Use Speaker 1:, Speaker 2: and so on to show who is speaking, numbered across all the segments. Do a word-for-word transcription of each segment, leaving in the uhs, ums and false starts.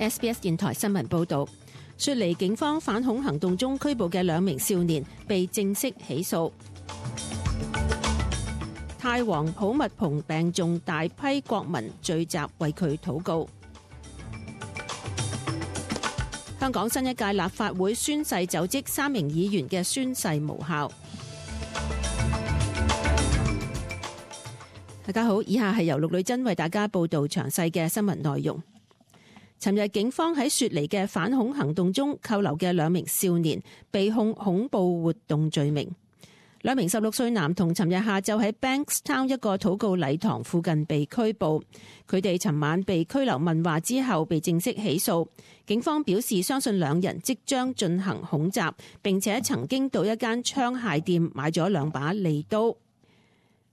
Speaker 1: S B S 電台新聞報導，雪梨警方反恐行動中拘捕嘅兩名少年被正式起訴。泰王普密蓬病重，大批國民聚集為佢禱告。香港新一屆立法會宣誓就職，三名議員嘅宣誓無效。大家好，以下係由陸女珍為大家報道詳細嘅新聞內容。尋日警方喺雪梨嘅反恐行動中扣留嘅兩名少年被控恐怖活動罪名。兩名十六歲男童尋日下晝喺 Bankstown 一個禱告禮堂附近被拘捕，佢哋尋晚被拘留問話之後被正式起訴。警方表示相信兩人即將進行恐襲，並且曾經到一間槍械店買咗兩把利刀。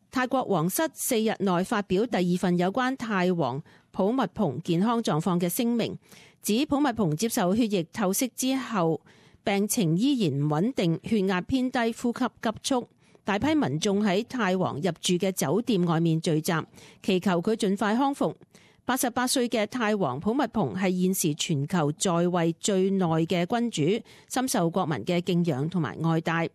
Speaker 1: 泰國皇室四日內發表第二份有關泰王普密蓬健康狀況嘅聲明，指普密蓬接受血液透析之後病情依然唔穩定，血壓偏低，呼吸急促。大批民眾喺泰王入住嘅酒店外面聚集，祈求佢盡快康復。八十八歲嘅泰王普密蓬係現時全球在位最耐嘅君主，深受國民嘅敬仰同埋愛戴。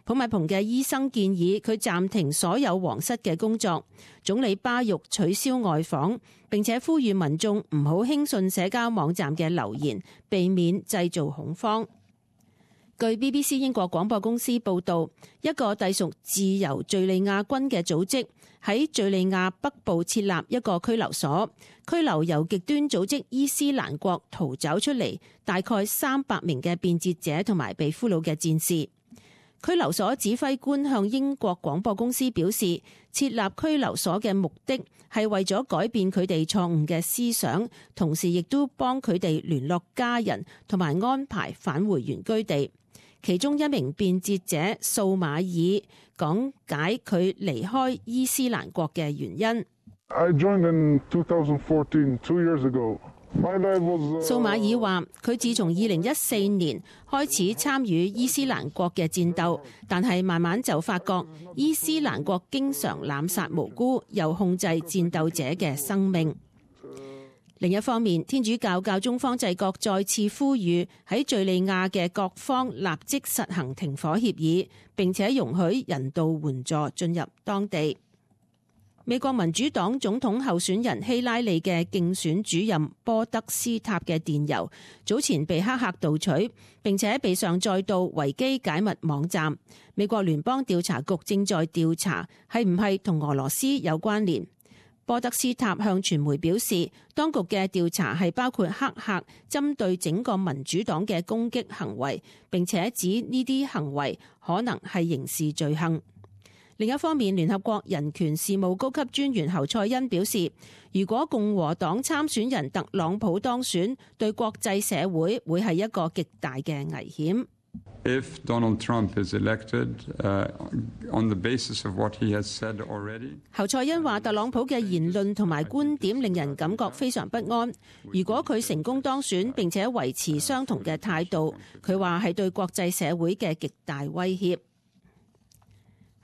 Speaker 1: 普密蓬嘅醫生建議佢暫停所有皇室嘅工作，總理巴育取消外訪，並且呼籲民眾唔好輕信社交網站嘅流言，避免製造恐慌。據 B B C 英國廣播公司報導，一個隸屬自由敘利亞軍嘅組織喺敘利亞北部設立一個拘留所，拘留由極端組織伊斯蘭國逃走出嚟大概三百名嘅變節者同埋被俘虜嘅戰士。拘留所指揮官向英國廣播公司表示，設立拘留所嘅目的係為咗改變佢哋錯誤嘅思想，同時亦都幫佢哋聯絡家人同埋安排返回原居地。其中一名變節者素馬爾講解佢離開伊斯蘭國嘅原因。
Speaker 2: I joined in twenty fourteen, two years ago. My life was, uh...
Speaker 1: 素馬爾話：佢自從二零一四年開始參與伊斯蘭國嘅戰鬥，但係慢慢就發覺伊斯蘭國經常濫殺無辜，又控制戰鬥者嘅生命。另一方面，天主教教宗方濟各再次呼籲喺敘利亞嘅各方立即實行停火協議，並且容許人道援助進入當地。美國民主黨總統候選人希拉里嘅競選主任波德斯塔嘅電郵早前被黑客盜取，並且被上載到維基解密網站。美國聯邦調查局正在調查係唔係同俄羅斯有關聯。波德斯塔向傳媒表示，當局嘅調查係包括黑客針對整個民主黨嘅攻擊行為，並且指呢啲行為可能係刑事罪行。另一方面，聯合國人權事務高級專員侯賽恩表示，如果共和黨參選人特朗普當選，對國際社會會係一個極大嘅危險。
Speaker 3: If Donald Trump is elected, uh, on the basis of what he has said already.
Speaker 1: 侯賽恩話，特朗普嘅言論同埋觀點令人感覺非常不安。如果佢成功當選並且維持相同嘅態度，佢話係對國際社會嘅極大威脅。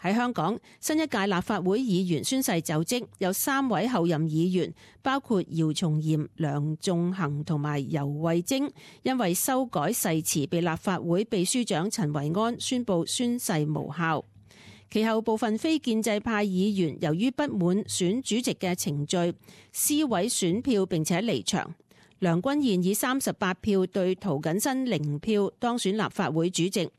Speaker 1: 喺香港，新一屆立法會議員宣誓就職，有三位候任議員，包括姚松炎、梁頌恆同埋游蕙禎，因為修改誓詞被立法會秘書長陳維安宣布宣誓無效。其後部分非建制派議員由於不滿選主席嘅程序，撕毀選票並且離場。梁君彥以三十八票對涂謹申零票當選立法會主席，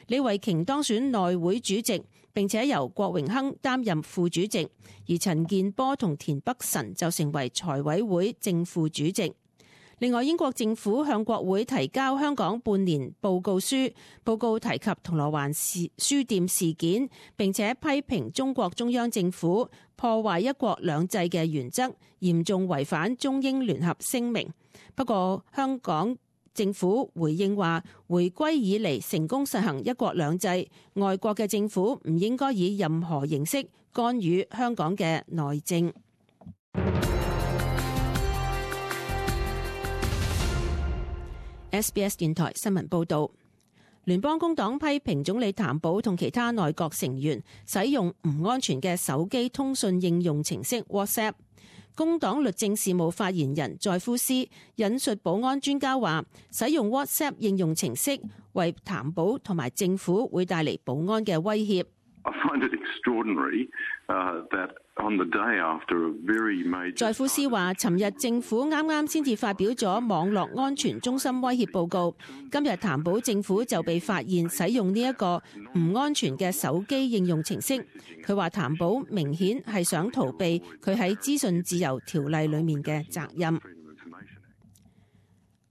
Speaker 1: 李慧瓊當選內會主席，並且由郭榮鏗擔任副主席，而陳健波同田北辰就成為財委會正副主席。另外，英國政府向國會提交香港半年報告書，報告提及銅鑼灣事書店事件，並且批評中國中央政府破壞一國兩制嘅原則，嚴重違反中英聯合聲明。不過，香港政府回應話，回歸以嚟成功實行一國兩制，外國嘅政府唔應該以任何形式干預香港嘅內政。S B S 電台新聞報導，聯邦工黨批評總理譚寶同其他內閣成員使用唔安全嘅手機通訊應用程式 WhatsApp。工黨律政事務發言人載夫斯引述保安專家話，使用 WhatsApp 應用程式為譚寶同埋政府會帶嚟保安嘅威脅。載夫斯話，尋日政府啱啱先至發表咗網絡安全中心威脅報告，今日譚寶政府就被發現使用呢一個唔安全嘅手機應用程式。佢話譚寶明顯係想逃避佢喺資訊自由條例裏面嘅責任。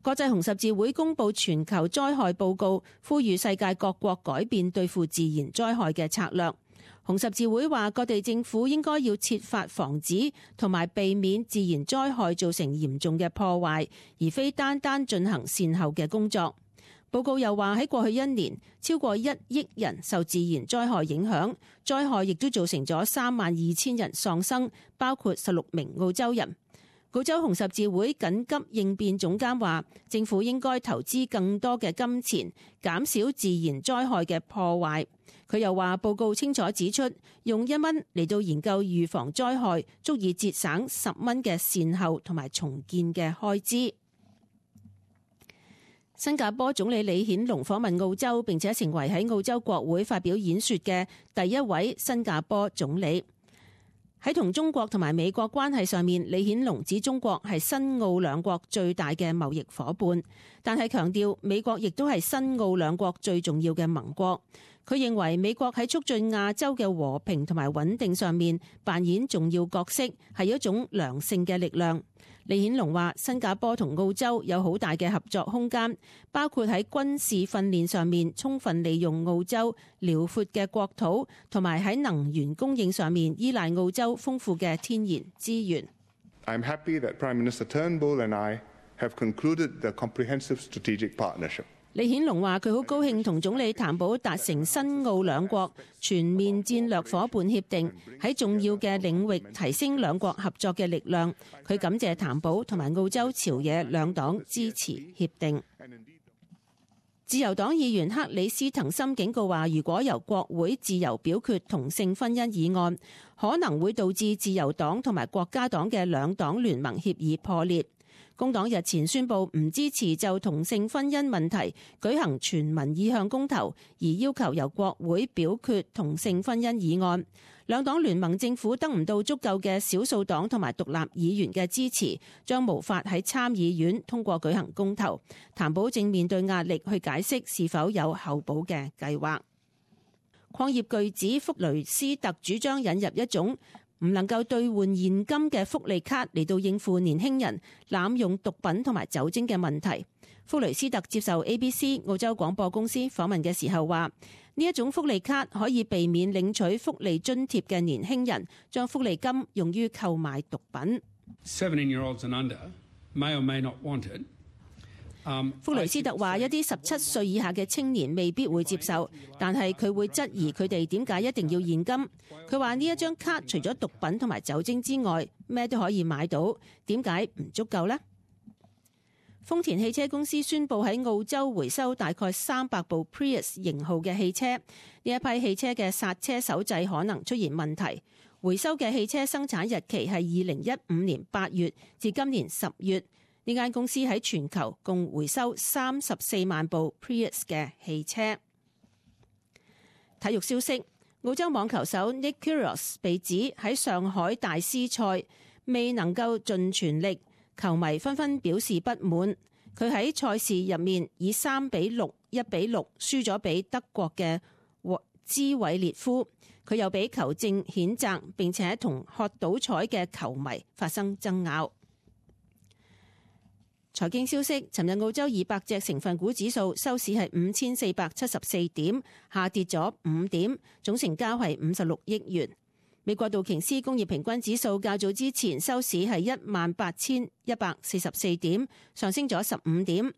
Speaker 1: 國際紅十字會公布全球災害報告，呼籲世界各國改變對付自然災害嘅策略。紅十字會話，各地政府應該要設法防止同埋避免自然災害造成嚴重嘅破壞，而非單單進行善後嘅工作。報告又話，喺過去一年，超過一億人受自然災害影響，災害亦都造成咗三萬二千人喪生，包括十六名澳洲人。澳洲紅十字會緊急應變總監話，政府應該投資更多嘅金錢，減少自然災害嘅破壞。佢又話，報告清楚指出，用一蚊嚟到研究預防災害，足以節省十蚊嘅善後同埋重建嘅開支。新加坡總理李顯龍訪問澳洲，並且成為喺澳洲國會發表演說嘅第一位新加坡總理。喺同中國同埋美國關係上面，李顯龍指中國係新澳兩國最大嘅貿易夥伴，但係強調美國亦都係新澳兩國最重要嘅盟國。佢認為美國喺促進亞洲嘅和平同埋穩定上面扮演重要角色，係一種良性嘅力量。李顯龍話，新加坡同澳洲有好大嘅合作空間，包括喺軍事訓練上面充分利用澳洲遼闊嘅國土，同埋喺能源供應上面依賴澳洲豐富嘅天然資源。
Speaker 4: I'm happy that Prime Minister Turnbull and I have concluded the comprehensive strategic partnership.
Speaker 1: 李顯龍話，佢好高興同總理譚寶達成新澳兩國全面戰略夥伴協定，喺重要嘅領域提升兩國合作嘅力量。佢感謝譚寶同埋澳洲朝野兩黨支持協定。自由黨議員克里斯滕森警告話，如果由國會自由表決同性婚姻議案，可能會導致自由黨同埋國家黨嘅兩黨聯盟協議破裂。工黨日前宣布唔支持就同性婚姻問題舉行全民意向公投，而要求由國會表決同性婚姻議案。兩黨聯盟政府得唔到足夠嘅少數黨同埋獨立議員嘅支持，將無法喺參議院通過舉行公投。譚寶正面對壓力去解釋是否有候補嘅計劃。礦業巨子福雷斯特主張引入一種唔能夠兌換現金嘅福利卡嚟到應付年輕人濫用毒品同埋酒精嘅問題。福雷斯特接受 A B C 澳洲廣播公司訪問嘅時候話，呢一種福利卡可以避免領取福利津貼嘅年輕人將福利金用於購買毒品。
Speaker 5: seventeen-year-olds and under may or may not want it.
Speaker 1: 福雷斯特話，一啲十七歲以下嘅青年未必會接受，但係佢會質疑佢哋點解一定要現金。佢話呢一張卡除咗毒品同埋酒精之外，咩都可以買到，點解唔足夠呢？豐田汽車公司宣布喺澳洲回收大概三百部 Prius 型號嘅汽車，呢一批汽車嘅剎車手掣可能出現問題。回收嘅汽車生產日期係二零一五年八月至今年十月。呢間公司喺全球共回收三十四萬部 Prius 嘅汽車。體育消息，澳洲網球手 Nick Kyrgios 被指喺上海大師賽未能夠盡全力，球迷紛紛表示不滿。佢喺賽事入面以三比六、一比六輸咗俾德國嘅茲韋列夫。佢又俾球證譴責，並且同喝倒彩嘅球迷發生爭拗。財經消息，尋日澳洲二百隻成分股指數收市係五千四百七十四點，下跌咗五點，總成交係五十六億元。美國道瓊斯工業平均指數較早之前收市係一萬八千一百四十四點，上升咗十五點。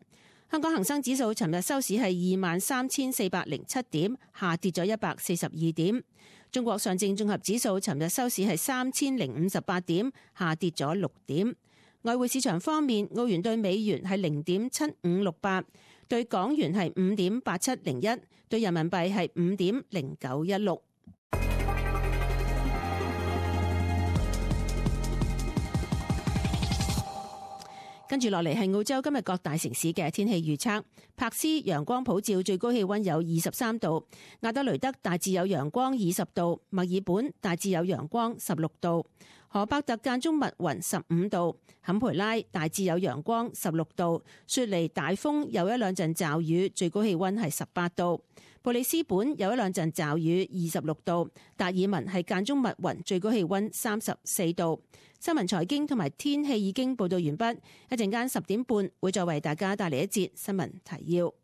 Speaker 1: 香港恒生指數尋日收市係二萬三千四百零七點，下跌咗一百四十二點。中國上證綜合指數尋日收市係三千零五十八點，下跌咗六點。外匯市場方面，澳元對美元係零點七五六八，對港元係五點八七零一，對人民幣係五點零九一六。跟住落嚟係澳洲今日各大城市嘅天氣預測。柏斯陽光普照，最高氣溫有二十三度；亞德雷德大致有陽光，二十度；墨爾本大致有陽光，十六度；荷伯特間中密雲，十五度；坎培拉大致有陽光，十六度；雪梨大風，有一兩陣驟雨，最高氣溫係十八度；布里斯本有一兩陣驟雨，二十六度；達爾文係間中密雲，最高氣溫三十四度。新聞財經同埋天氣已經報道完畢，一陣間十點半會再為大家帶嚟一節新聞提要。